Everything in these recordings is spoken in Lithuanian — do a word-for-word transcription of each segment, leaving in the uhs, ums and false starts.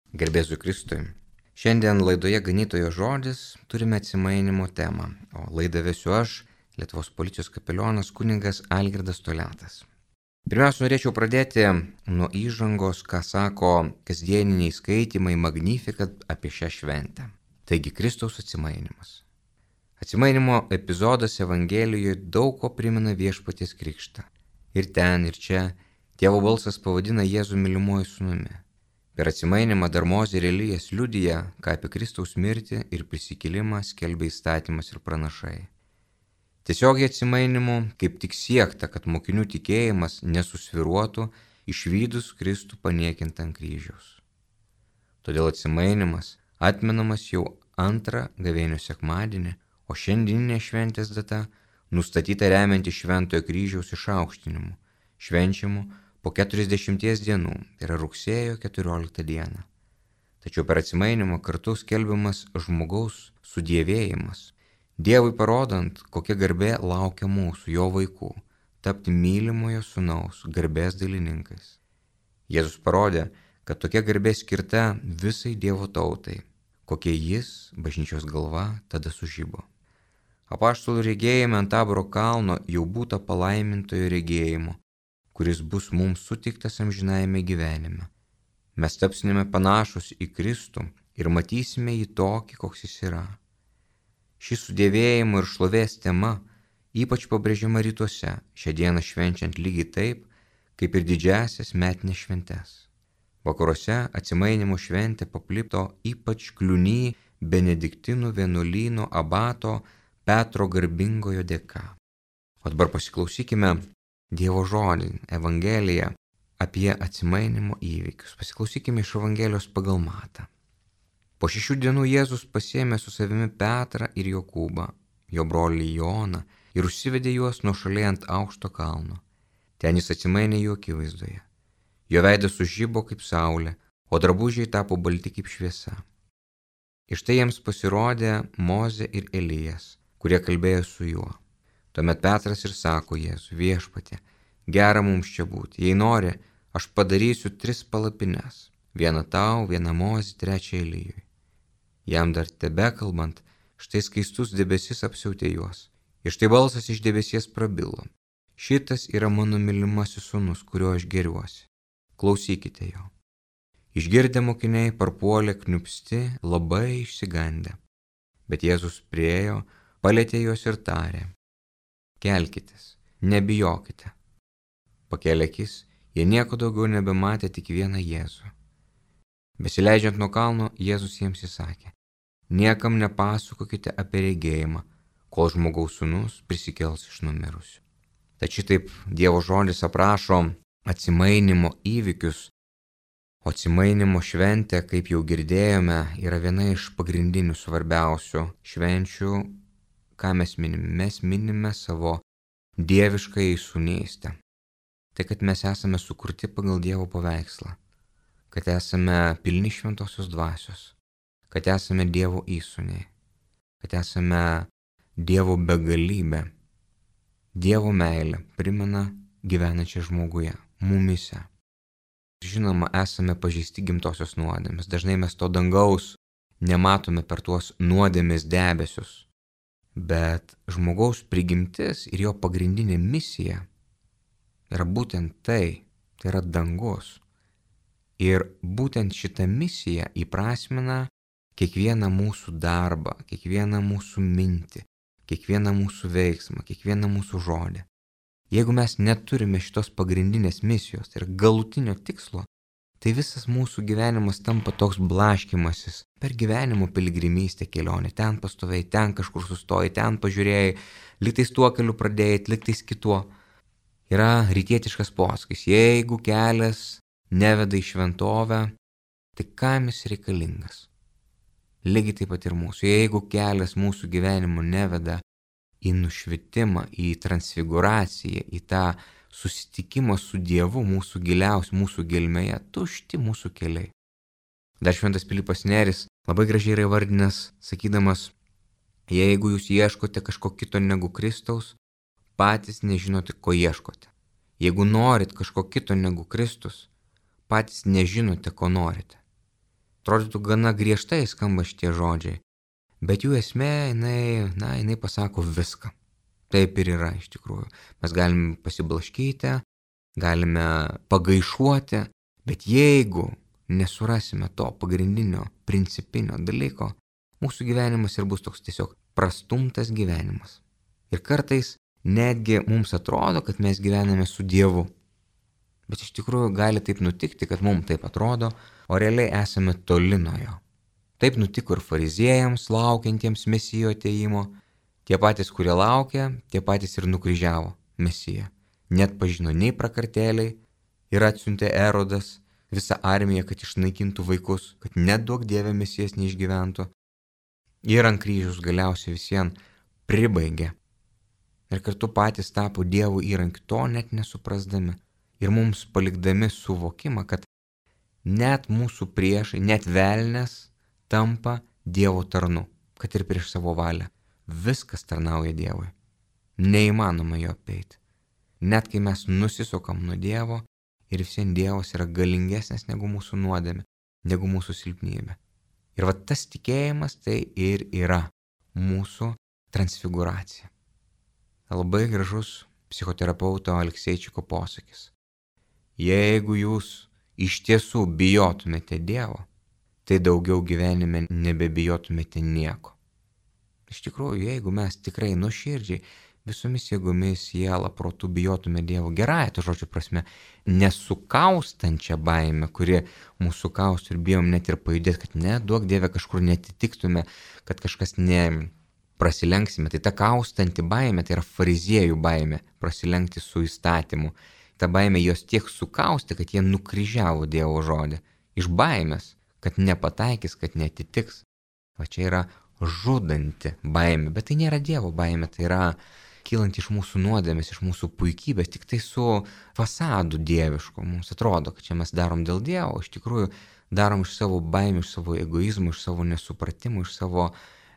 Garbėsiu Kristui. Šiandien laidoje Ganytojo žodis turime atsimainimo temą, o laidą vesiu aš, Lietuvos policijos kapelionas kunigas Algirdas Toliatas. Pirmiausia, norėčiau pradėti nuo įžangos, ką sako kasdieniniai skaitymai Magnificat apie šią šventę. Taigi Kristaus atsimainimas. Atsimainimo epizodas Evangelijoje daug ko primena Viešpaties krikštą. Ir ten, ir čia Tėvo balsas pavadina Jėzų mylimuoju sūnumi. Per atsimainimą dar Mozė ir Elijas liudija, ką apie Kristaus mirtį ir prisikėlimą skelbia įstatymas ir pranašai. Tiesiogiai atsimainimu kaip tik siekta, kad mokinių tikėjimas nesusviruotų išvydus Kristų paniekintą ant kryžiaus. Todėl atsimainimas atmenamas jau antrą gavėnių sekmadienį, o šiandieninė šventės data nustatyta remianti Šventojo kryžiaus išaukštinimu, švenčiamu po keturiasdešimties dienų, tai yra rugsėjo keturioliktą dieną. Tačiau per atsimainimą kartu skelbiamas žmogaus sudievėjimas, Dievui parodant, kokia garbė laukia mūsų, jo vaikų, tapti mylimojo sūnaus garbės dalininkais. Jėzus parodė, kad tokia garbė skirta visai Dievo tautai, kokie jis, bažnyčios galva, tada sužibo. Apaštalų regėjime ant Taboro kalno jau būta palaimintojo regėjimo, kuris bus mums suteiktas amžinajame gyvenime. Mes tapsime panašus į Kristų ir matysime jį tokį, koks jis yra. Ši sudėvėjimo ir šlovės tema ypač pabrėžiama rytuose, šią dieną švenčiant lygiai taip, kaip ir didžiasias metinės šventes. Vakaruose atsimainimo šventė paplito ypač Kliuny benediktinų vienuolyno abato Petro garbingojo dėka. O dabar pasiklausykime Dievo žodį, Evangeliją apie atsimainimo įvykius. Pasiklausykime iš Evangelijos pagal Matą. Po šešių dienų Jėzus pasiėmė su savimi Petrą ir Jokūbą, jo brolį Joną, ir užsivedė juos nuošaliai ant aukšto kalno. Ten jis atsimainė jų akivaizdoje. Jo veidas sužibo kaip saulė, o drabužiai tapo balti kaip šviesa. Iš tai jiems pasirodė Mozė ir Elijas, kurie kalbėjo su juo. Tuomet Petras ir sako Jėzui: Viešpatie, gera mums čia būti. Jei nori, aš padarysiu tris palapines. Vieną tau, vieną Mozei, trečią Elijui. Jam dar tebekalbant, štai skaistus debesis apsiautė juos. Ir štai balsas iš debesies prabilo: Šitas yra mano mylimasis sūnus, kuriuo aš gėriuosi. Klausykite jo. Išgirdę mokiniai parpuolė kniupsti, labai išsigandę. Bet Jėzus priėjo, palietė juos ir tarė: Kelkitės, nebijokite. Pakėlė akis, jie nieko daugiau nebematė, tik vieną Jėzų. Besileidžiant nuo kalno, Jėzus jiems įsakė: Niekam nepasakokite apie regėjimą, kol žmogaus sūnus prisikels iš numirusių. Tačiau taip Dievo žodis aprašo atsimainimo įvykius, o atsimainimo šventė, kaip jau girdėjome, yra viena iš pagrindinių svarbiausių švenčių, ką mes minime. Mes minime savo dieviškąją sūnystę. Tai, kad mes esame sukurti pagal Dievo paveikslą, kad esame pilni šventosios dvasios, kad esame Dievo įsūniai, kad esame Dievo begalybė. Dievo meilė primena gyvenančią žmoguje, mumyse. Žinoma, esame pažeisti gimtosios nuodėmės. Dažnai mes to dangaus nematome per tuos nuodėmės debesius. Bet žmogaus prigimtis ir jo pagrindinė misija yra būtent tai, tai yra dangus. Ir būtent šitą misiją įprasmina kiekvieną mūsų darbą, kiekvieną mūsų mintį, kiekvieną mūsų veiksmą, kiekvieną mūsų žodį. Jeigu mes neturime šitos pagrindinės misijos, tai yra galutinio tikslo, tai visas mūsų gyvenimas tampa toks blaškymasis per gyvenimo piligrimystę kelionę. Ten pastovėjai, ten kažkur sustojai, ten pažiūrėjai, liktais tuo keliu pradėjai, liktais kituo. Yra rytietiškas posakis: jeigu kelias neveda į šventovę, tai kam jis reikalingas? Lygiai taip pat ir mūsų. Jeigu kelias mūsų gyvenimo neveda į nušvitimą, į transfiguraciją, į tą susitikimą su Dievu mūsų giliausiu, mūsų gelmėje, tušti mūsų keliai. Dar šventas Pilypas Nėris labai gražiai yra įvardinęs, sakydamas: jeigu jūs ieškote kažko kito negu Kristaus, patys nežinote, ko ieškote. Jeigu norit kažko kito negu Kristus, patys nežinote, ko norite. Atrodytų gana griežtai skamba šitie žodžiai, bet jų esmė, jinai, na, jinai pasako viską. Taip ir yra iš tikrųjų. Mes galime pasiblaškyti, galime pagaišuoti, bet jeigu nesurasime to pagrindinio, principinio dalyko, mūsų gyvenimas ir bus toks tiesiog prastumtas gyvenimas. Ir kartais netgi mums atrodo, kad mes gyvename su Dievu. Bet iš tikrųjų gali taip nutikti, kad mums taip atrodo, o realiai esame toli nuo jo. Taip nutiko ir fariziejams, laukiantiems Mesijo atėjimo. Tie patys, kurie laukia, tie patys ir nukryžiavo Mesiją. Net pažino nei prakartėliai ir atsiuntė Erodas visą armiją, kad išnaikintų vaikus, kad net duok Dieve Mesijas neišgyventų. Ir ant kryžiaus galiausiai visien pribaigė. Ir kartu patys tapo Dievo įrankiu, to net nesuprasdami. Ir mums palikdami suvokimą, kad net mūsų priešai, net velnias tampa Dievo tarnu, kad ir prieš savo valią. Viskas tarnauja Dievui. Neįmanoma jo apeiti. Net kai mes nusisukam nuo Dievo ir visien Dievas yra galingesnis negu mūsų nuodėmė, negu mūsų silpnybė. Ir va tas tikėjimas tai ir yra mūsų transfiguracija. Labai gražus psichoterapeuto Alekseičiko posakis. Jeigu jūs iš tiesų bijotumėte Dievo, tai daugiau gyvenime nebebijotumėte nieko. Iš tikrųjų, jeigu mes tikrai nuoširdžiai visomis jėgomis, siela, protu bijotume Dievo, gerąja to žodžio prasme, nesukaustančią baimę, kuri mūsų kaustų ir bijom net ir pajudėti, kad ne, duok Dieve kažkur netitiktume, kad kažkas ne prasilenksime. Tai ta kaustanti baimė, tai yra fariziejų baimė, prasilenkti su įstatymu. Ta baimė jos tiek sukausti, kad jie nukryžiavo Dievo žodį. Iš baimės, kad nepataikys, kad netitiks. Va čia yra žudanti baimė, bet tai nėra Dievo baimė, tai yra kylant iš mūsų nuodėmės, iš mūsų puikybės, tik tai su fasadu dievišku. Mums atrodo, kad čia mes darom dėl Dievo, iš tikrųjų darom iš savo baimių, iš savo egoizmų, iš savo nesupratimų, iš savo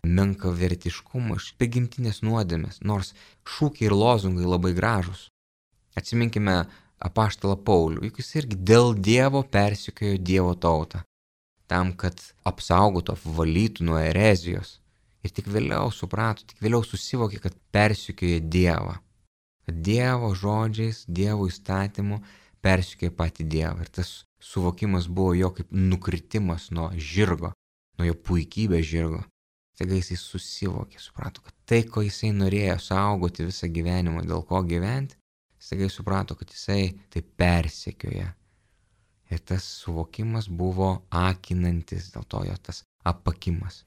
menkavertiškumo, iš prigimtinės nuodėmės, nors šūkiai ir lozungai labai gražus. Atsiminkime apaštalą Paulių, juk jis irgi dėl Dievo persekiojo Dievo tautą, tam, kad apsaugotų, apvalytų nuo erezijos. Ir tik vėliau suprato, tik vėliau susivokė, kad persekioja Dievą. Kad Dievo žodžiais, Dievo įstatymu persekioja patį Dievą. Ir tas suvokimas buvo jo kaip nukritimas nuo žirgo, nuo jo puikybės žirgo. Staiga jisai susivokė, suprato, kad tai, ko jisai norėjo saugoti visą gyvenimą, dėl ko gyventi, staiga jis suprato, kad jisai tai persekioja. Ir tas suvokimas buvo akinantis, dėl to jo tas apakimas.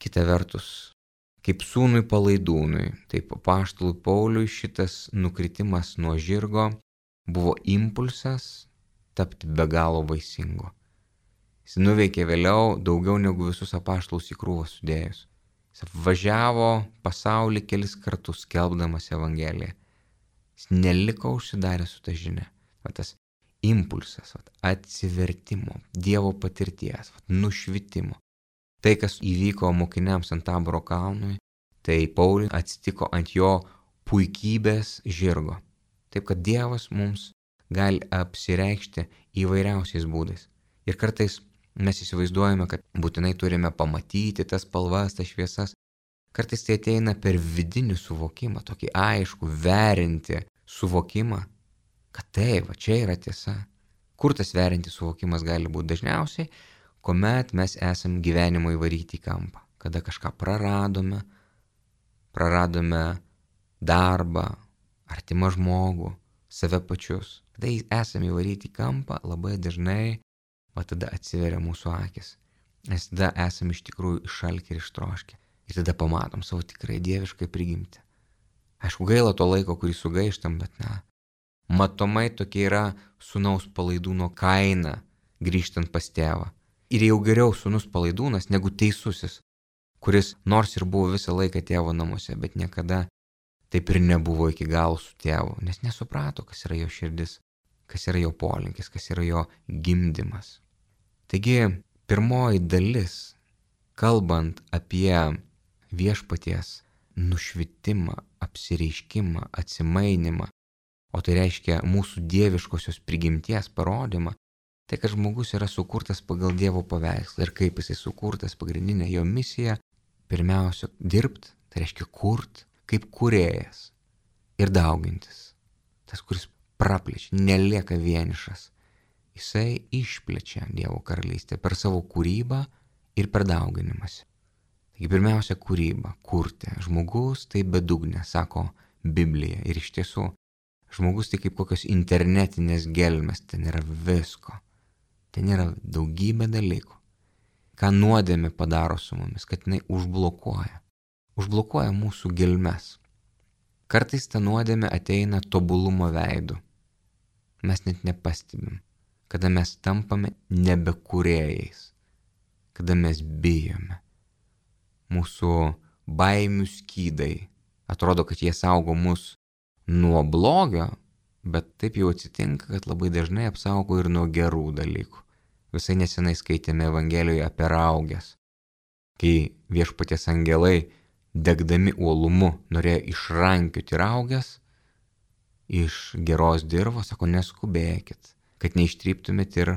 Kita vertus, kaip sūnui palaidūnui, taip apaštalui Pauliui šitas nukritimas nuo žirgo buvo impulsas tapti be galo vaisingu. Jis nuveikė vėliau daugiau negu visus apaštalus į krūvą sudėjus. Jis apvažiavo pasaulį kelis kartus skelbdamas Evangeliją. Jis neliko užsidaręs su ta žinia. Va tas impulsas, va, atsivertimo, Dievo patirties, va, nušvitimo. Tai, kas įvyko mokiniams ant Taboro kalnui, tai Pauliui atsitiko ant jo puikybės žirgo. Taip, kad Dievas mums gali apsireikšti įvairiausiais būdais. Ir kartais mes įsivaizduojame, kad būtinai turime pamatyti tas spalvas, tas šviesas. Kartais tai ateina per vidinį suvokimą, tokį aišku, verinti suvokimą, kad taip, va čia yra tiesa. Kur tas verinti suvokimas gali būti dažniausiai? Kuomet mes esam gyvenimo įvaryti į kampą. Kada kažką praradome, praradome darbą, artimą žmogų, save pačius. Kada esame įvaryti į kampą, labai dažnai va tada atsiveria mūsų akis. Mes tada esame iš tikrųjų išalkę ir ištroškę. Ir tada pamatom savo tikrai dieviškai prigimtį. Aišku, gaila to laiko, kurį sugaištam, bet na, matomai tokia yra sūnaus palaidūno kaina grįžtant pas tėvą. Ir jau geriau sūnus palaidūnas negu teisusis, kuris nors ir buvo visą laiką tėvo namuose, bet niekada taip ir nebuvo iki galo su tėvu, nes nesuprato, kas yra jo širdis, kas yra jo polinkis, kas yra jo gimdymas. Taigi, pirmoji dalis, kalbant apie viešpaties nušvitimą, apsireiškimą, atsimainimą, o tai reiškia mūsų dieviškosios prigimties parodymą, Tai, kad žmogus yra sukurtas pagal Dievo paveikslą ir kaip jisai sukurtas, pagrindinė jo misija, pirmiausia, dirbti, tai reiškia kurt, kaip kūrėjas ir daugintis. Tas, kuris praplečia, nelieka vienišas. Jisai išplečia Dievo karalystę per savo kūrybą ir per dauginimąsi. Taigi pirmiausia, kūryba, kurti. Žmogus tai bedugnė, sako Biblija. Ir iš tiesų, žmogus tai kaip kokios internetinės gelmės, ten yra visko. Ten yra daugybė dalykų. Ką nuodėmė padaro su mumis, kad jinai užblokuoja. Užblokuoja mūsų gelmes. Kartais ta nuodėmė ateina tobulumo veidu. Mes net nepastebim, kada mes tampame nebekūrėjais, kada mes bijome. Mūsų baimių skydai atrodo, kad jie saugo mus nuo blogio, bet taip jau atsitinka, kad labai dažnai apsaugo ir nuo gerų dalykų. Visai nesenai skaitėme Evangelijoje apie rauges, kai viešpaties angelai, degdami uolumu, norėjo išrankioti rauges iš geros dirvos, sako, neskubėkit, kad neištryptumėt ir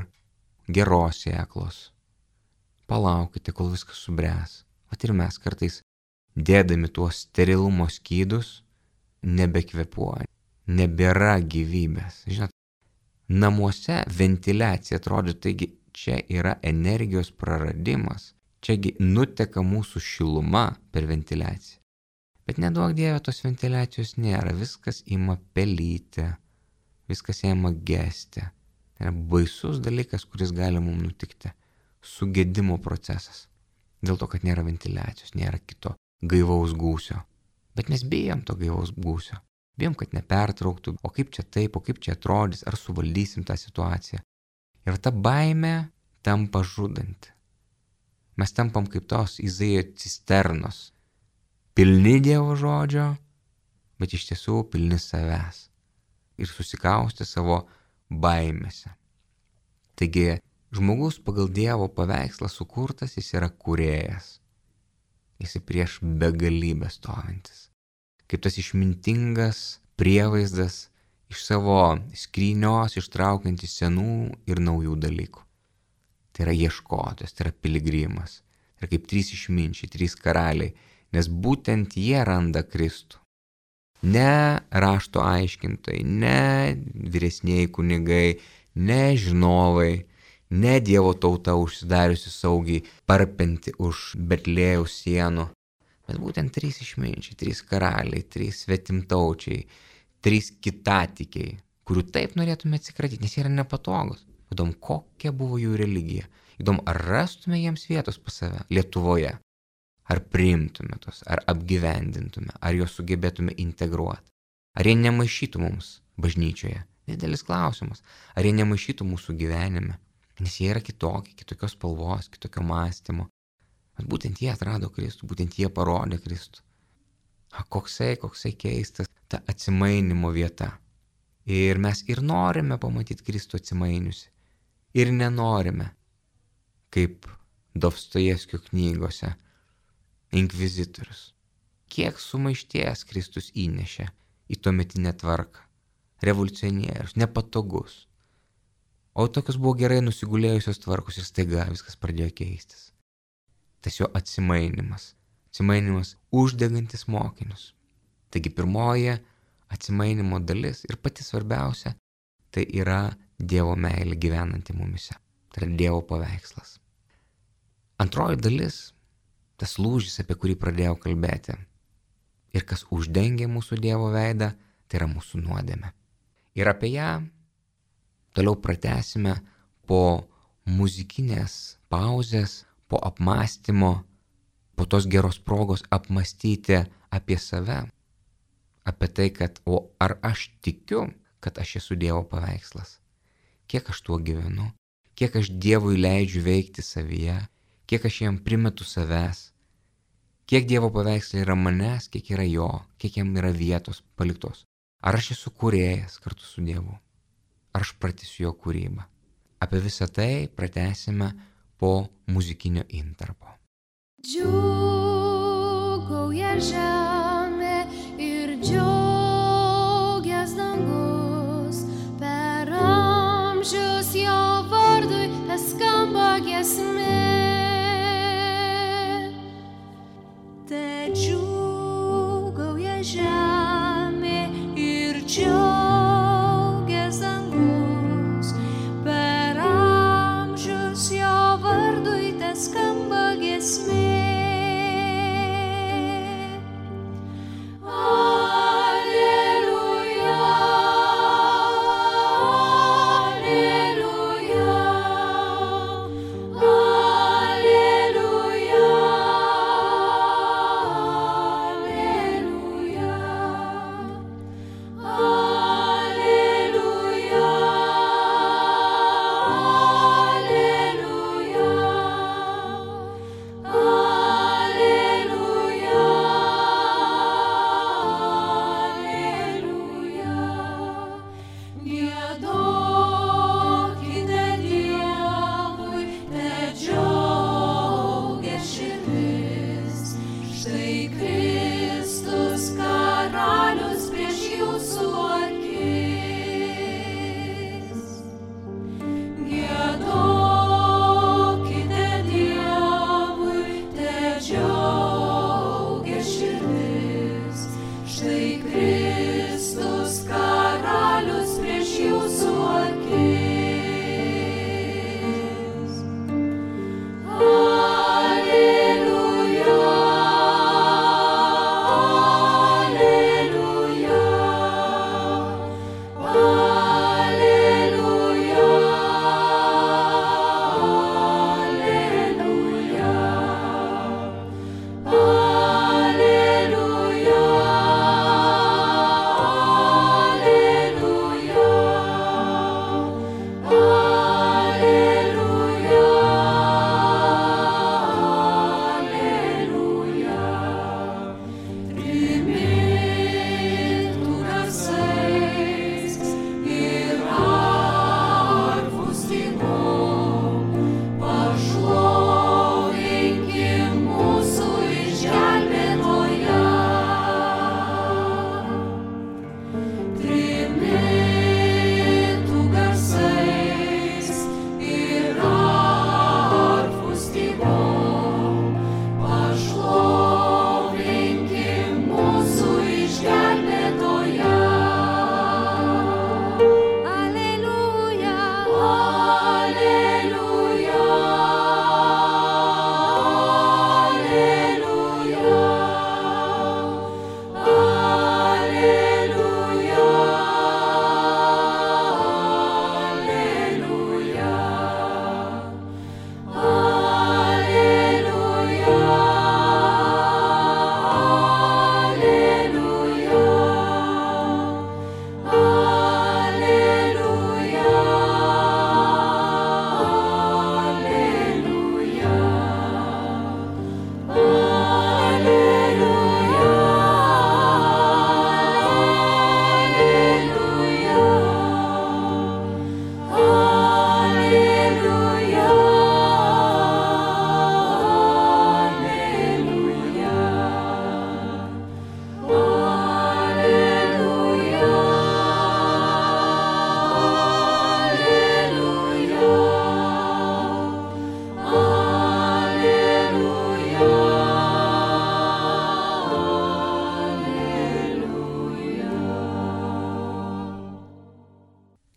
geros sėklos. Palaukite, kol viskas subręs. Vat ir mes kartais, dėdami tuos sterilumo skydus, nebekvepuoja, nebėra gyvybės. Žinot, namuose ventiliacija atrodo, taigi čia yra energijos praradimas. Čiagi nuteka mūsų šiluma per ventiliaciją. Bet neduok Dieve, tos ventiliacijos nėra. Viskas ima pelyti, viskas ima gesti. Tai yra baisus dalykas, kuris gali mums nutikti. Sugedimo procesas. Dėl to, kad nėra ventiliacijos, nėra kito gaivaus gūsio. Bet mes bijom to gaivaus gūsio. Bijom, kad nepertrauktų, o kaip čia taip, o kaip čia atrodys, ar suvaldysim tą situaciją. Ir ta baimė tampa žudanti. Mes tampam kaip tos Izaijo cisternos. Pilni Dievo žodžio, bet iš tiesų pilni savęs. Ir susikausti savo baimėse. Taigi, žmogus pagal Dievo paveikslą sukurtas, jis yra kūrėjas. Jis prieš begalybę stovintis. Kaip tas išmintingas prievaizdas iš savo skrynios ištraukiantis senų ir naujų dalykų. Tai yra ieškotojas, tai yra piligrimas. Tai yra kaip trys išminčiai, trys karaliai, nes būtent jie randa Kristų. Ne rašto aiškintojai, ne vyresnieji kunigai, ne žinovai, ne Dievo tauta užsidariusi saugiai, parpenti už Betlėjaus sienų, bet būtent trys išminčiai, trys karaliai, trys svetimtaučiai, trys kitatikiai, kurių taip norėtume atsikratyti, nes jie yra nepatogus. Įdom, kokia buvo jų religija. Įdom, ar rastume jiems vietos pas save Lietuvoje. Ar priimtume tos, ar apgyvendintume, ar juos sugebėtume integruoti. Ar jie nemaišytų mums bažnyčioje. Didelis klausimas. Ar jie nemaišytų mūsų gyvenime. Nes jie yra kitokie, kitokios spalvos, kitokio mąstymo. Bet būtent jie atrado Kristų, būtent jie parodė Kristų. A, koksai, koksai keistas ta atsimainimo vieta. Ir mes ir norime pamatyti Kristų atsimainiusi. Ir nenorime, kaip Dostojevskio knygose, inkvizitorius. Kiek sumaišties Kristus įnešė į tuometinę tvarką. Revoliucionierius, nepatogus. O tokios buvo gerai nusigulėjusios tvarkos ir staiga viskas pradėjo keistis. Tas jo atsimainimas. Atsimainimas uždegantis mokinius. Taigi pirmoji atsimainimo dalis ir pati svarbiausia, tai yra Dievo meilė gyvenanti mumise. Tai yra Dievo paveikslas. Antroji dalis, tas lūžis, apie kurį pradėjau kalbėti. Ir kas uždengia mūsų Dievo veidą, tai yra mūsų nuodėmė. Ir apie ją toliau pratęsime po muzikinės pauzės, po apmąstymo, po tos geros progos apmąstyti apie save. Apie tai, kad o ar aš tikiu, kad aš esu Dievo paveikslas. Kiek aš tuo gyvenu, kiek aš Dievui leidžiu veikti savyje, kiek aš jam primetu savęs, kiek Dievo paveikslai yra manęs, kiek yra jo, kiek jam yra vietos paliktos. Ar aš esu kūrėjas kartu su Dievu, ar aš pratęsiu jo kūrybą. Apie visą tai pratęsime po muzikinio intarpo. Džiūgauja žemė ir džiaugias dangus, per amžius jo vardą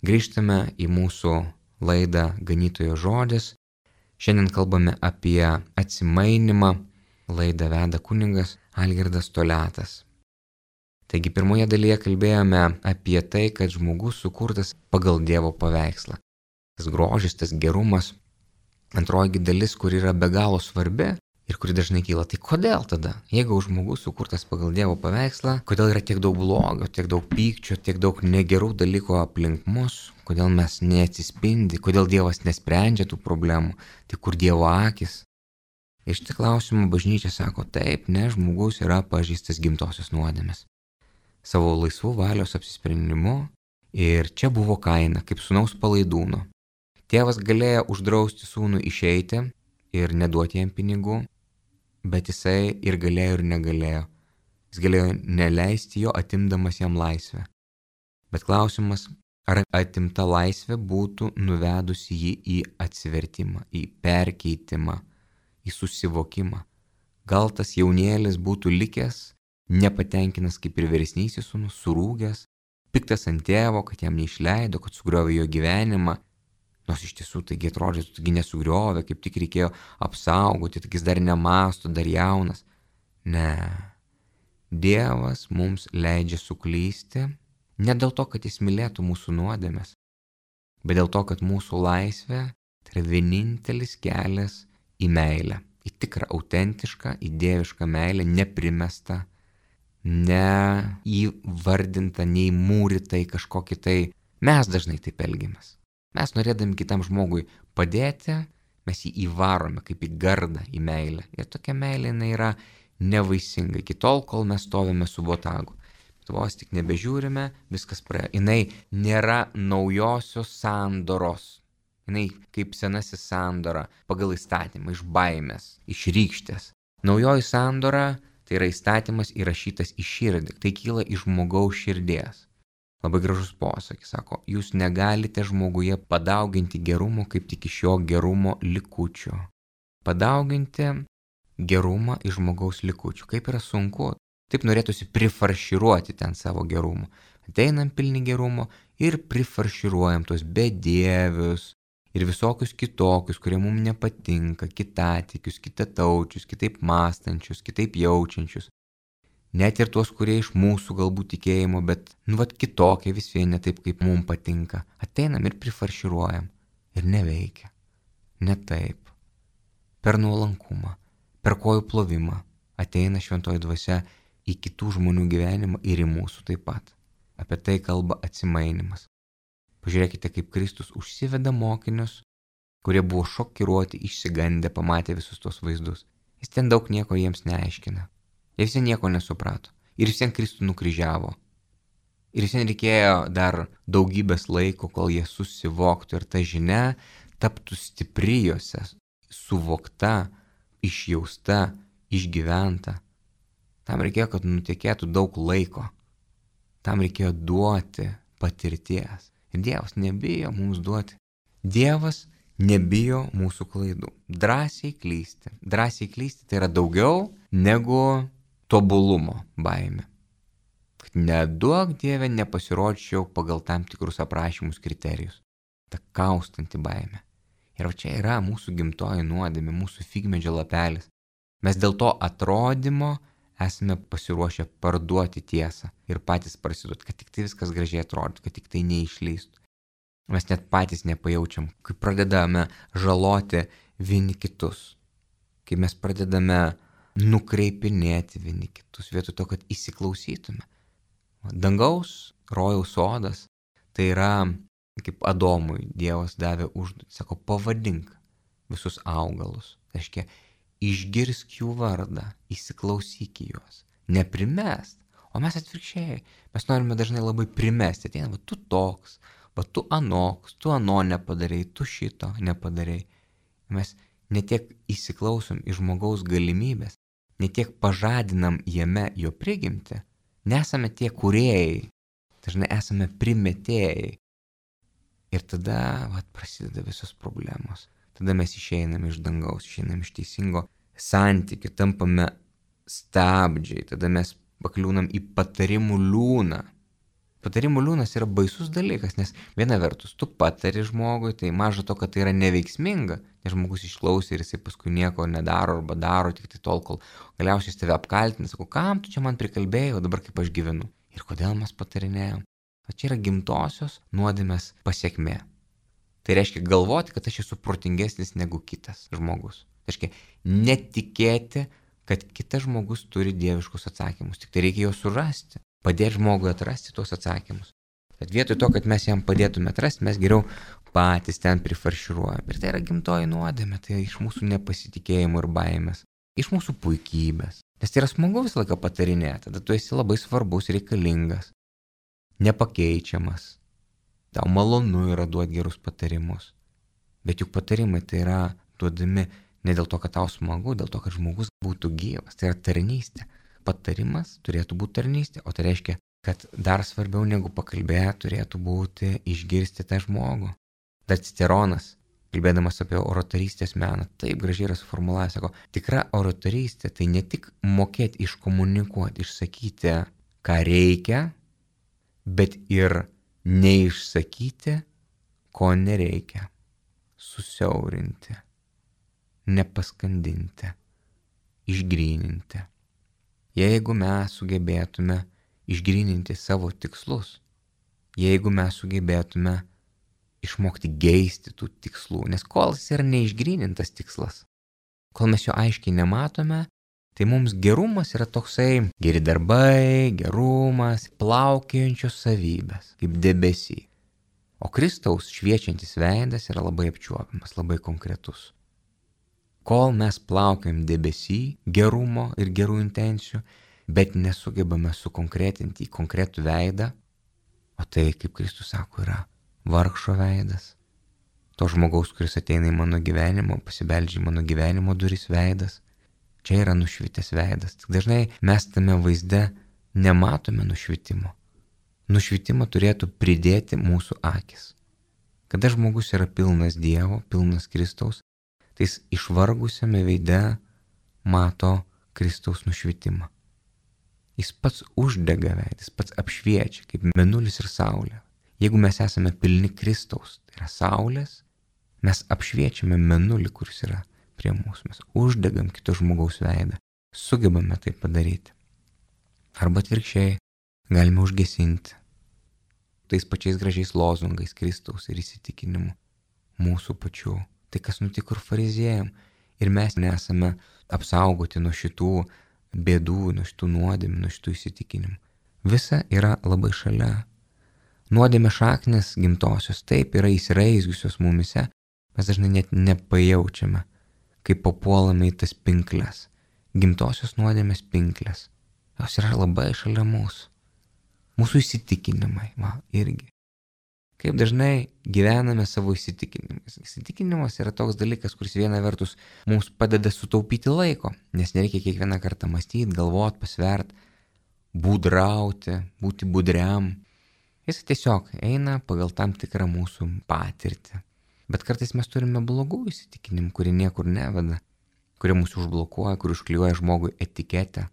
Grįžtame į mūsų laidą Ganytojo žodis. Šiandien kalbame apie atsimainimą. Laidą veda kunigas Algirdas Toliatas. Taigi pirmoje dalyje kalbėjome apie tai, kad žmogus sukurtas pagal Dievo paveikslą. Tas grožis, tas gerumas. Antroji dalis, kur yra be galo svarbi ir kuri dažnai kyla. Tai kodėl tada, jeigu žmogus sukurtas pagal Dievo paveikslą, kodėl yra tiek daug blogio, tiek daug pykčio, tiek daug negerų dalykų aplink mus, kodėl mes neatsispindi, kodėl Dievas nesprendžia tų problemų, tai kur Dievo akis? Iš šitą klausimą bažnyčia sako taip, ne, žmogus yra pažeistas gimtosios nuodėmės. Savo laisvų valios apsisprendimu ir čia buvo kaina, kaip sūnaus palaidūno. Tėvas galėjo uždrausti sūnų išeiti ir neduoti jam pinigų, bet jisai ir galėjo ir negalėjo. Jis galėjo neleisti jo, atimdamas jam laisvę. Bet klausimas, ar atimta laisvė būtų nuvedusi jį į atsivertimą, į perkeitimą, į susivokimą. Gal tas jaunėlis būtų likęs, nepatenkinas kaip ir vyresnysis sūnus, surūgęs, piktas ant tėvo, kad jam neišleido, kad sugriovė jo gyvenimą. Nors iš tiesų taigi atrodytų, taigi nesugriovė, kaip tik reikėjo apsaugoti, tik jis dar nemąsto, dar jaunas. Ne. Dievas mums leidžia suklysti, ne dėl to, kad jis mylėtų mūsų nuodėmes, bet dėl to, kad mūsų laisvė tai yra vienintelis kelias į meilę, į tikrą, autentišką, į dievišką meilę, neprimestą, neįvardintą, neįmūrytą į kažkokį tai. Mes dažnai taip elgiamės. Mes norėdami kitam žmogui padėti, mes jį įvarome kaip į gardą, į meilę. Ir tokia meilė jinai yra nevaisinga, iki tol, kol mes stovime su botagu. Bet vos tik nebežiūrime, viskas praėjo. Jinai nėra naujosios sandoros. Jinai kaip senasis sandora pagal įstatymą, iš baimės, iš rykštės. Naujoji sandora tai yra įstatymas įrašytas į širdį. Tai kyla iš žmogaus širdies. Labai gražus posakis, sako, jūs negalite žmoguje padauginti gerumo kaip tik iš jo gerumo likučių. Padauginti gerumą iš žmogaus likučių. Kaip yra sunku. Taip norėtųsi prifarširuoti ten savo gerumo. Ateinam pilni gerumo ir prifarširuojam tos bedievius ir visokius kitokius, kurie mums nepatinka, kitatikius, kitataučius, kitaip mąstančius, kitaip jaučiančius. Net ir tuos, kurie iš mūsų galbūt tikėjimo, bet, nu, vat kitokie vis vien ne taip, kaip mums patinka. Ateinam ir prifarširuojam. Ir neveikia. Ne taip. Per nuolankumą, per kojų plovimą ateina šventoji dvasia į kitų žmonių gyvenimą ir į mūsų taip pat. Apie tai kalba atsimainimas. Pažiūrėkite, kaip Kristus užsiveda mokinius, kurie buvo šokiruoti, išsigandę, pamatę visus tos vaizdus. Jis ten daug nieko jiems neaiškina. Jie visi nieko nesuprato. Ir vis vien Kristų nukryžiavo. Ir vis vien reikėjo dar daugybės laiko, kol jie susivoktų ir ta žinia taptų stipri juose, suvokta, išjausta, išgyventa. Tam reikėjo, kad nutekėtų daug laiko. Tam reikėjo duoti patirties. Ir Dievas nebijo mums duoti. Dievas nebijo mūsų klaidų. Drąsiai klysti. Drąsiai klysti tai yra daugiau negu tobulumo baimė. Kad neduok Dieve nepasirodžiau pagal tam tikrus aprašymus kriterijus. Ta kaustanti baimė. Ir čia yra mūsų gimtoji nuodėmė, mūsų figmedžio lapelis. Mes dėl to atrodymo esame pasiruošę parduoti tiesą ir patys prasiduoti, kad tik tai viskas gražiai atrodytų, kad tik tai neišlystų. Mes net patys nepajaučiam, kai pradedame žaloti vieni kitus, kai mes pradedame nukreipinėti vieni kitus, vietoj to, kad įsiklausytume. Dangaus rojaus sodas tai yra kaip Adomui Dievas davė užduotį, sako, pavadink visus augalus, tai reiškia, išgirsk jų vardą, įsiklausyk į juos, neprimest, o mes atvirkščiai, mes norime dažnai labai primesti, ateina, va tu toks, va tu anoks, tu ano nepadarei, tu šito nepadarei. Mes netiek įsiklausom į žmogaus galimybės, netiek pažadinam jame jo prigimtį, nesame tie kūrėjai, dažnai esame primetėjai. Ir tada vat, prasideda visos problemos. Tada mes išeiname iš dangaus, išeiname iš teisingo santykių, tampame stabdžiai, tada mes pakliūnam į patarimų liūną. Patarimų liūnas yra baisus dalykas, nes viena vertus, tu patari žmogui, tai maža to, kad tai yra neveiksminga, nes žmogus išklausė ir jisai paskui nieko nedaro arba daro tik tai tol, kol galiausiai jis tave apkaltina, sako, kam tu čia man prikalbėjai, o dabar kaip aš gyvenu. Ir kodėl mes patarinėjom? O čia yra gimtosios nuodėmės pasiekmė. Tai reiškia galvoti, kad aš esu protingesnis negu kitas žmogus. Tai reiškia netikėti, kad kitas žmogus turi dieviškus atsakymus, tik tai reikia juos surasti. Padėti žmogui atrasti tuos atsakymus. Bet vietoj to, kad mes jam padėtume atrasti, mes geriau patys ten prifarširuojam. Ir tai yra gimtoji nuodėmė, tai iš mūsų nepasitikėjimo ir baimės, iš mūsų puikybės. Nes tai yra smagu visą laiką patarinėti, tada tu esi labai svarbus, reikalingas, nepakeičiamas. Tau malonu yra duoti gerus patarimus. Bet juk patarimai tai yra duodami ne dėl to, kad tau smagu, dėl to, kad žmogus būtų gyvas. Tai yra tarnystė. Patarimas turėtų būti tarnystė, o tai reiškia, kad dar svarbiau negu pakalbėti turėtų būti išgirsti tą žmogų. Dar Ciceronas, kalbėdamas apie oratorystės meną, taip gražiai yra suformulavęs, sako, tikra oratorystė tai ne tik mokėti iškomunikuoti, išsakyti, ką reikia, bet ir neišsakyti, ko nereikia, susiaurinti, nepaskandinti, išgryninti. Jeigu mes sugebėtume išgryninti savo tikslus, jeigu mes sugebėtume išmokti geisti tų tikslų, nes kol jis yra neišgrynintas tikslas, kol mes jo aiškiai nematome, tai mums gerumas yra toksai geri darbai, gerumas, plaukiojančios savybės, kaip debesy. O Kristaus šviečiantis veidas yra labai apčiuopiamas, labai konkretus. Kol mes plaukiam debesy gerumo ir gerų intencijų, bet nesugebame sukonkretinti į konkretų veidą, o tai, kaip Kristus sako, yra vargšo veidas. To žmogaus, kuris ateina į mano gyvenimą, pasibeldžia į mano gyvenimo duris veidas. Čia yra nušvitęs veidas. Tik dažnai mes tame vaizde nematome nušvitimo. Nušvitimą turėtų pridėti mūsų akis. Kada žmogus yra pilnas Dievo, pilnas Kristaus, tai jis išvargusiame veide mato Kristaus nušvitimą. Jis pats uždega veidą, jis pats apšviečia, kaip mėnulis ir saulė. Jeigu mes esame pilni Kristaus, tai yra saulės, mes apšviečiame mėnulį, kuris yra prie mūsų. Mes uždegam kito žmogaus veidą, sugebame tai padaryti. Arba atvirkščiai, galime užgesinti tais pačiais gražiais lozungais Kristaus ir įsitikinimu mūsų pačių. Tai kas nutiko ir fariziejam. Ir mes nesame apsaugoti nuo šitų bėdų, nuo šitų nuodėmių, nuo šitų įsitikinimų. Visa yra labai šalia. Nuodėmė šaknis gimtosios taip yra įsiraizgiusios mumise, mes dažnai net nepajaučiame, kaip papuolame į tas pinkles. Gimtosios nuodėmės pinkles. Jos yra labai šalia mūsų. Mūsų įsitikinimai, va, irgi. Kaip dažnai gyvename savo įsitikinimus. Įsitikinimas yra toks dalykas, kuris viena vertus mums padeda sutaupyti laiko, nes nereikia kiekvieną kartą mąstyti, galvoti, pasvert, būdrauti, būti budriam. Jis tiesiog eina pagal tam tikrą mūsų patirtį. Bet kartais mes turime blogų įsitikinimų, kurie niekur neveda, kurie mūsų užblokuoja, kurie užklijuoja žmogui etiketę,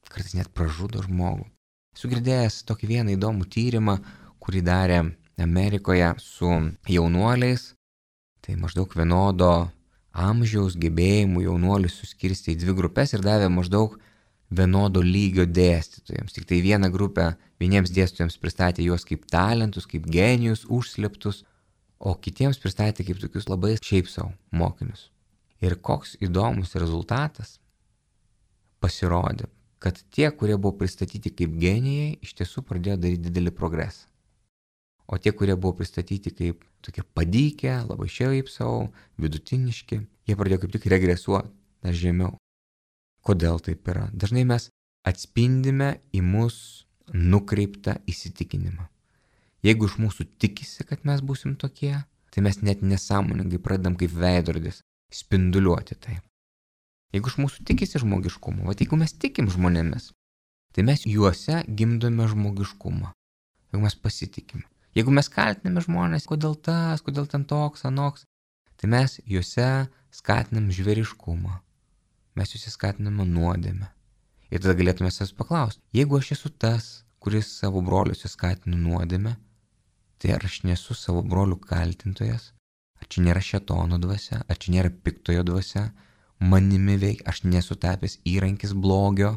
kartais net pražudo žmogų. Esu girdėjęs tokį vieną įdomų tyrimą, kurį darė Amerikoje su jaunuoliais, tai maždaug vienodo amžiaus gebėjimų jaunuolius suskirstė į dvi grupės ir davė maždaug vienodo lygio dėstytojams. Tik tai vieną grupę vieniems dėstytojams pristatė juos kaip talentus, kaip genijus, užslėptus, o kitiems pristatė kaip tokius labai šiaip savo mokinius. Ir koks įdomus rezultatas pasirodė, kad tie, kurie buvo pristatyti kaip genijai, iš tiesų pradėjo daryti didelį progresą. O tie, kurie buvo pristatyti kaip tokie padykę, labai šiaip savo, vidutiniški, jie pradėjo kaip tik regresuoti dar žemiau. Kodėl taip yra? Dažnai mes atspindime į mus nukreiptą įsitikinimą. Jeigu iš mūsų tikisi, kad mes būsim tokie, tai mes net nesąmoningai pradedam kaip veidrodis spinduliuoti tai. Jeigu iš mūsų tikisi žmogiškumo, va jeigu mes tikim žmonėmis, tai mes juose gimdome žmogiškumą. Jeigu mes pasitikime. Jeigu mes kaltiname žmonės, kodėl tas, kodėl ten toks, anoks, tai mes juose skatinam žvėriškumą. Mes juose skatiname nuodėmę. Ir tada galėtume savęs paklausti, jeigu aš esu tas, kuris savo broliuose skatina nuodėmę, tai ar aš nesu savo brolių kaltintojas, ar čia nėra šėtono dvasia, ar čia nėra piktojo dvasia, manimi veik, aš nesu tapęs įrankis blogio.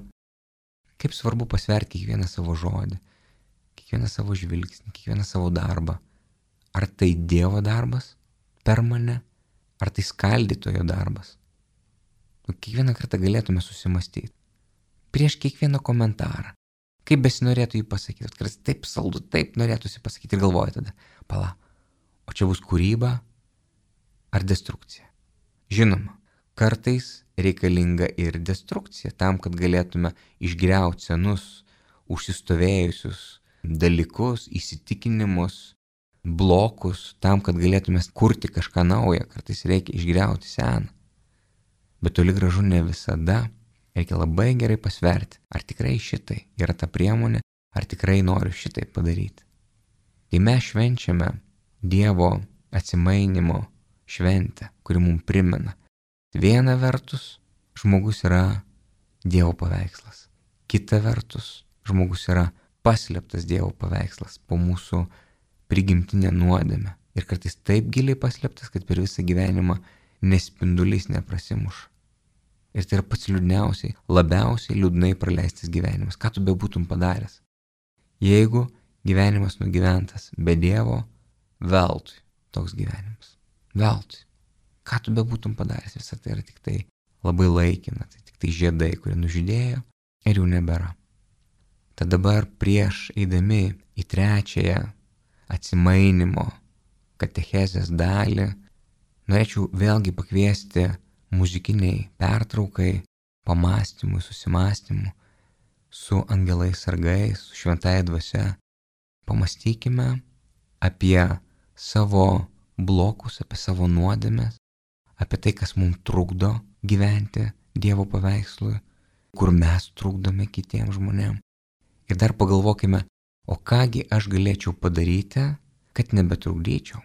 Kaip svarbu pasverti kiekvieną savo žodį, kiekvieną savo žvilgsnį, kiekvieną savo darbą. Ar tai Dievo darbas per mane, ar tai skaldytojo darbas. Nu, kiekvieną kartą galėtume susimastyti. Prieš kiekvieną komentarą. Kaip besinorėtų jį pasakyti. Kartais taip saldu, taip norėtųsi pasakyti ir galvoju tada, pala, o čia bus kūryba ar destrukcija. Žinoma, kartais reikalinga ir destrukcija tam, kad galėtume išgriauti senus, užsistovėjusius dalykus, įsitikinimus, blokus, tam, kad galėtume kurti kažką naują. Kartais reikia išgriauti seną. Bet toli gražu ne visada. Reikia labai gerai pasverti, ar tikrai šitai yra ta priemonė, ar tikrai noriu šitai padaryti. Kai mes švenčiame Dievo atsimainimo šventę, kuri mums primena, viena vertus žmogus yra Dievo paveikslas, kita vertus žmogus yra paslėptas Dievo paveikslas po mūsų prigimtinę nuodėmę ir kartais taip giliai paslėptas, kad per visą gyvenimą nespindulys neprasimuša. Ir tai yra pats liūdniausiai, labiausiai liūdnai praleistas gyvenimas. Ką tu bebūtum padaręs? Jeigu gyvenimas nugyventas be Dievo, veltui toks gyvenimas. Veltui. Ką tu bebūtum padaręs? Visą tai yra tik tai labai laikina. Tai tik tai žiedai, kurie nužydėjo ir jų nebėra. Tad dabar prieš eidami į trečiąją atsimainimo katechezės dalį, norėčiau vėlgi pakviesti muzikiniai pertraukai, pamastymui, susimastymui su angelais sargais, su šventąja dvasia. Pamastykime apie savo blokus, apie savo nuodėmes, apie tai, kas mums trukdo gyventi Dievo paveikslui, kur mes trukdome kitiems žmonėms. Ir dar pagalvokime, o kągi aš galėčiau padaryti, kad nebetrukdyčiau.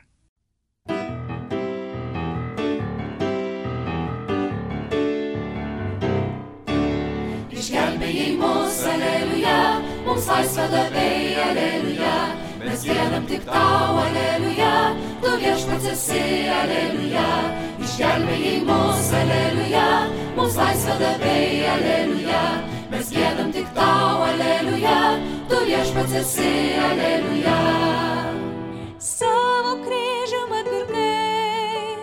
Išgelbėjai mus, aleliuja, mums laisvę davei, aleliuja, mes giedam tik tau, aleliuja, tu viešpats esi, aleliuja. Išgelbėjai mus, aleliuja, mums laisvę davei, aleliuja, mes giedam tik tau, aleliuja, tu viešpats esi, aleliuja. Savo kryžium atpirkai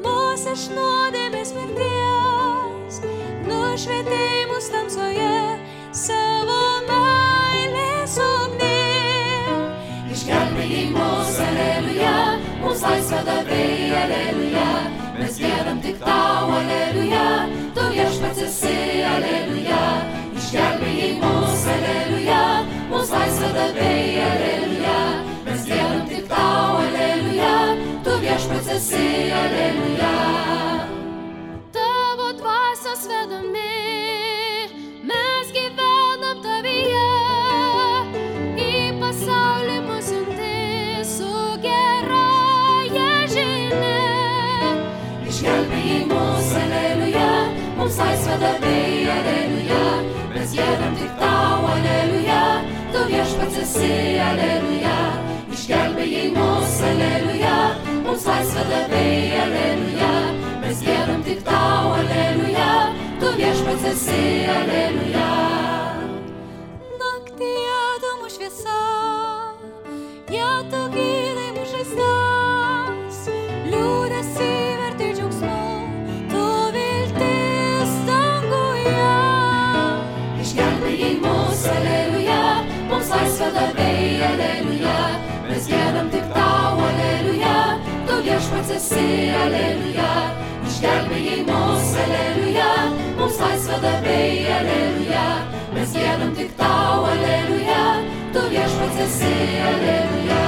mus iš nuodėmės mirties, nušvietei mus tamsoje savo meilės ugnim. Išgelbėjai mus, aleliuja, mums laisvę davei, aleliuja, mes giedam tik tau, aleliuja, tu viešpats esi, aleliuja. Išgelbėjai mus, aleliuja, mums laisvę davei, aleliuja, mes giedam tik tau, aleliuja, tu viešpats esi, aleliuja. Tavo dvasios vedami mes gyvenam tavyje, į pasaulį mus siunti su gerąja žinia. Išgelbėjai mus, aleliuja, mums laisvę davei, aleliuja, mes giedam tik tau, aleliuja, tu viešpats esi, aleliuja. Išgelbėjai mus, aleliuja, mums laisvę davei, aleliuja, mes giedam tik tau, aleliuja, tu viešpats esi, aleliuja. Naktyje tu mūsų šviesa, ją tu gydai mūsų žaizdas, liūdesį verti džiaugsmu, tu viltis danguje. Išgelbėjai mus, aleliuja, mums laisvę davei, aleliuja, mes giedam tik tau, aleliuja, tu viešpats esi, aleliuja. Išgelbėjai mus, aleliuja, mums laisvę davei, aleliuja, mes giedam tik tau, aleliuja, tu viešpats esi, aleliuja.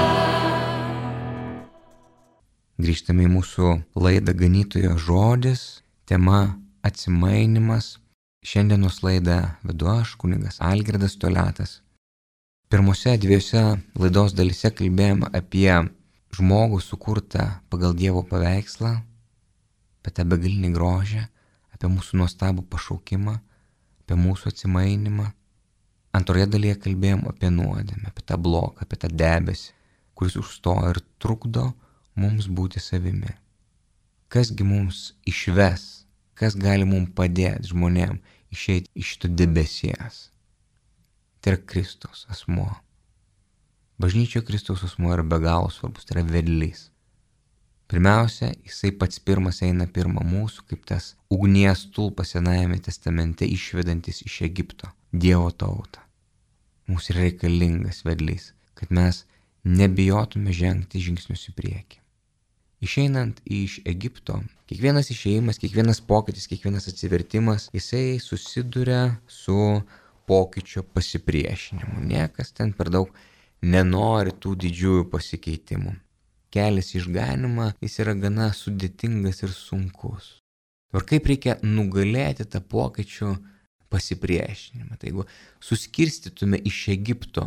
Grįžtame į mūsų laidą Ganytojo žodis, tema atsimainimas. Šiandienos laidą vedu aš, kunigas Algirdas Toliatas. Pirmose dviejose laidos dalyse kalbėjome apie žmogų sukurtą pagal Dievo paveikslą, apie tą begalinį grožį, apie mūsų nuostabų pašaukimą, apie mūsų atsimainimą. Antroje dalyje kalbėjom apie nuodėmę, apie tą bloką, apie tą debesį, kuris užstoja ir trukdo mums būti savimi. Kasgi mums išves, kas gali mums padėti žmonėm išeiti iš šito debesies. Tai yra Kristaus asmuo. Bažnyčioje Kristaus asmuo yra be galo svarbus, tai yra vedlys. Pirmiausia, jisai pats pirmas eina pirma mūsų, kaip tas ugnies stulpas Senajame testamente išvedantis iš Egipto Dievo tautą. Mums yra reikalingas vedlys, kad mes nebijotume žengti žingsnius į priekį. Išeinant iš Egipto, kiekvienas išėjimas, kiekvienas pokytis, kiekvienas atsivertimas, jisai susiduria su pokyčio pasipriešinimu. Niekas ten per daug nenori tų didžiųjų pasikeitimų. Kelias į išganymą, jis yra gana sudėtingas ir sunkus. Ir kaip reikia nugalėti tą pokyčių pasipriešinimą. Tai jeigu suskirstytume iš Egipto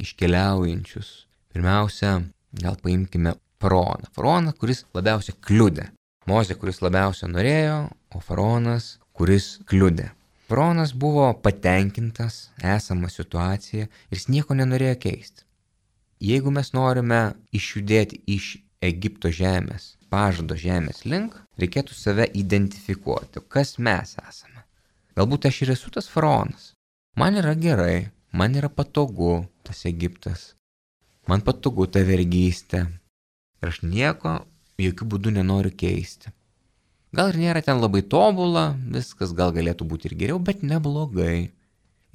iškeliaujančius, pirmiausia, gal paimkime faraoną. Faraoną, kuris labiausiai kliudė. Mozė, kuris labiausiai norėjo, o faraonas, kuris kliudė. Faraonas buvo patenkintas esamą situaciją ir jis nieko nenorėjo keisti. Jeigu mes norime išjudėti iš Egipto žemės, pažado žemės link, reikėtų save identifikuoti, kas mes esame. Galbūt aš ir esu tas faraonas. Man yra gerai, man yra patogu tas Egiptas, man patogu ta vergystė ir aš nieko jokių būdų nenoriu keisti. Gal ir nėra ten labai tobula, viskas gal galėtų būti ir geriau, bet neblogai.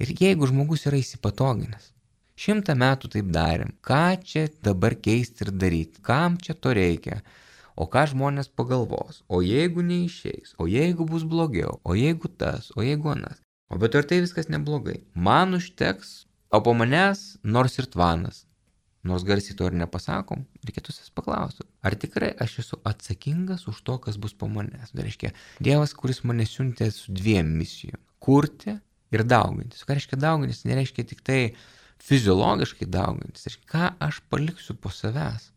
Ir jeigu žmogus yra įsipatoginęs, šimtą metų taip darėm. Ką čia dabar keisti ir daryti? Kam čia to reikia? O ką žmonės pagalvos? O jeigu neišeis? O jeigu bus blogiau? O jeigu tas? O jeigu anas? O bet ar tai viskas neblogai? Man užteks, o po manęs nors ir tvanas. Nors garsiai to ir nepasakom, reikėtų savęs paklausti. Ar tikrai aš esu atsakingas už to, kas bus po manęs? Tai reiškia, Dievas, kuris mane siuntė su dviem misijom. Kurti ir daugintis. Ką reiškia daugintis? Nereiškia tik tai fiziologiškai daugintis. Ką aš paliksiu po savęs?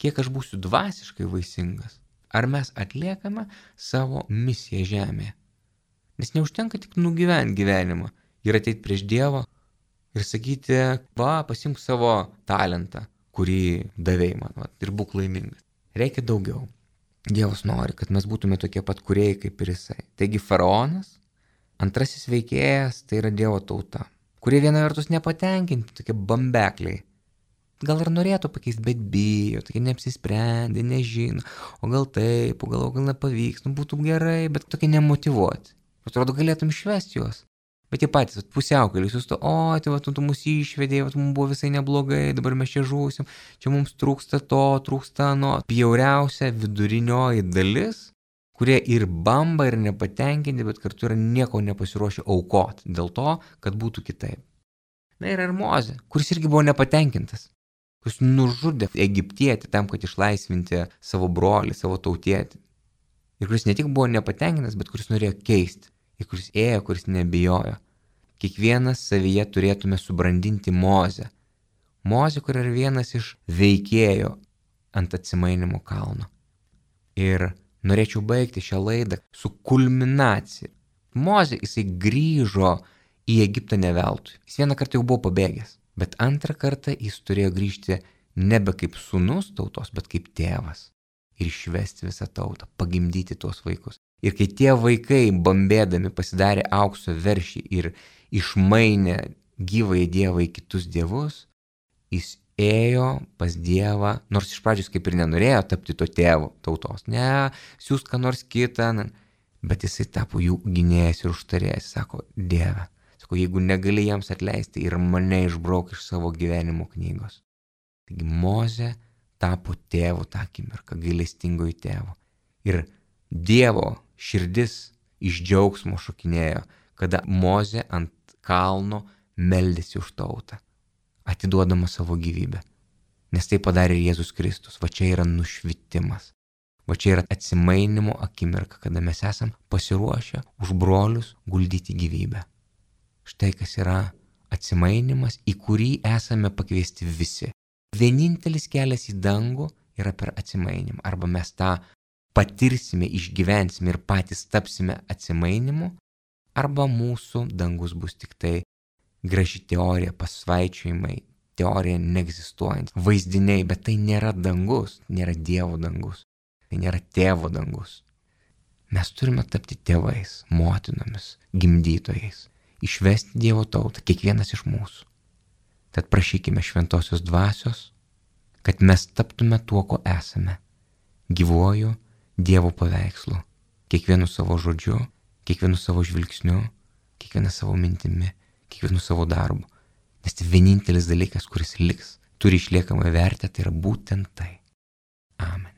Kiek aš būsiu dvasiškai vaisingas? Ar mes atliekame savo misiją žemėje? Nes neužtenka tik nugyventi gyvenimą ir ateiti prieš Dievą ir sakyti, va, pasimk savo talentą, kurį davei man, va, ir būk laimingas. Reikia daugiau. Dievas nori, kad mes būtume tokie pat kūrėjai kaip ir jisai. Taigi faraonas, antrasis veikėjas, tai yra Dievo tauta, kurie viena vertus nepatenkinti, tokie bambekliai. Gal ir norėtų pakeisti, bet bijo, tokie neapsisprendė, nežino, o gal taip, o gal, o gal nepavyks, nu būtų gerai, bet tokie nemotyvuoti. Atrodo, galėtum išvesti juos. Bet jie patys, pusiaukelį, susto, o, tai va, tu, tu mus išvedėjai, va, mums buvo visai neblogai, dabar mes čia žūsim, čia mums trūksta to, trūksta ano. Bjauriausia vidurinioji dalis, kurie ir bamba, ir nepatenkinti, bet kartu yra nieko nepasiruošę aukoti dėl to, kad būtų kitaip. Na ir ir Mozė, kuris irgi buvo nepatenkintas, kuris nužudė egiptietį tam, kad išlaisvinti savo brolį, savo tautietį. Ir kuris ne tik buvo nepatenkintas, bet kuris norėjo keisti. Ir kuris ėjo, kuris nebijojo. Kiekvienas savyje turėtume subrandinti Mozę. Mozė, kur yra vienas iš veikėjų ant Atsimainimo kalno. Ir norėčiau baigti šią laidą su kulminacija. Mozė, jisai grįžo į Egiptą ne veltui. Jis vieną kartą jau buvo pabėgęs, bet antrą kartą jis turėjo grįžti nebe kaip sūnus tautos, bet kaip tėvas. Ir išvesti visą tautą, pagimdyti tuos vaikus. Ir kai tie vaikai, bambėdami, pasidarė aukso veršį ir išmainė gyvąjį Dievą į kitus dievus, jis ėjo pas Dievą, nors iš pradžios kaip ir nenorėjo tapti to tėvo tautos. Ne, siūst ką nors kitą, bet jisai tapo jų gynėjas ir užtarėjas. Sako, Dieve, sako, jeigu negali jiems atleisti ir mane išbrauk iš savo gyvenimo knygos. Taigi Mozė tapo tėvu tą akimirką, gailestingoji tėvu. Ir Dievo širdis iš džiaugsmo šokinėjo, kada Mozė ant kalno meldėsi už tautą, atiduodama savo gyvybę. Nes tai padarė Jėzus Kristus. Va čia yra nušvitimas. Va čia yra atsimainimo akimirka, kada mes esam pasiruošę už brolius guldyti gyvybę. Štai kas yra atsimainimas, į kurį esame pakviesti visi. Vienintelis kelias į dangų yra per atsimainimą. Arba mes tą patirsime, išgyvensime ir patys tapsime atsimainimu, arba mūsų dangus bus tik tai graži teorija, pasvaičiojimai, teorija neegzistuojant, vaizdiniai, bet tai nėra dangus, nėra Dievo dangus, tai nėra tėvo dangus. Mes turime tapti tėvais, motinomis, gimdytojais, išvesti Dievo tautą, kiekvienas iš mūsų. Tad prašykime šventosios dvasios, kad mes taptume tuo, ko esame, gyvuoju Dievo paveikslu, kiekvienu savo žodžiu, kiekvienu savo žvilgsniu, kiekvienu savo mintimi, kiekvienu savo darbu. Nes tai vienintelis dalykas, kuris liks, turi išliekamą vertę, tai yra būtent tai. Amen.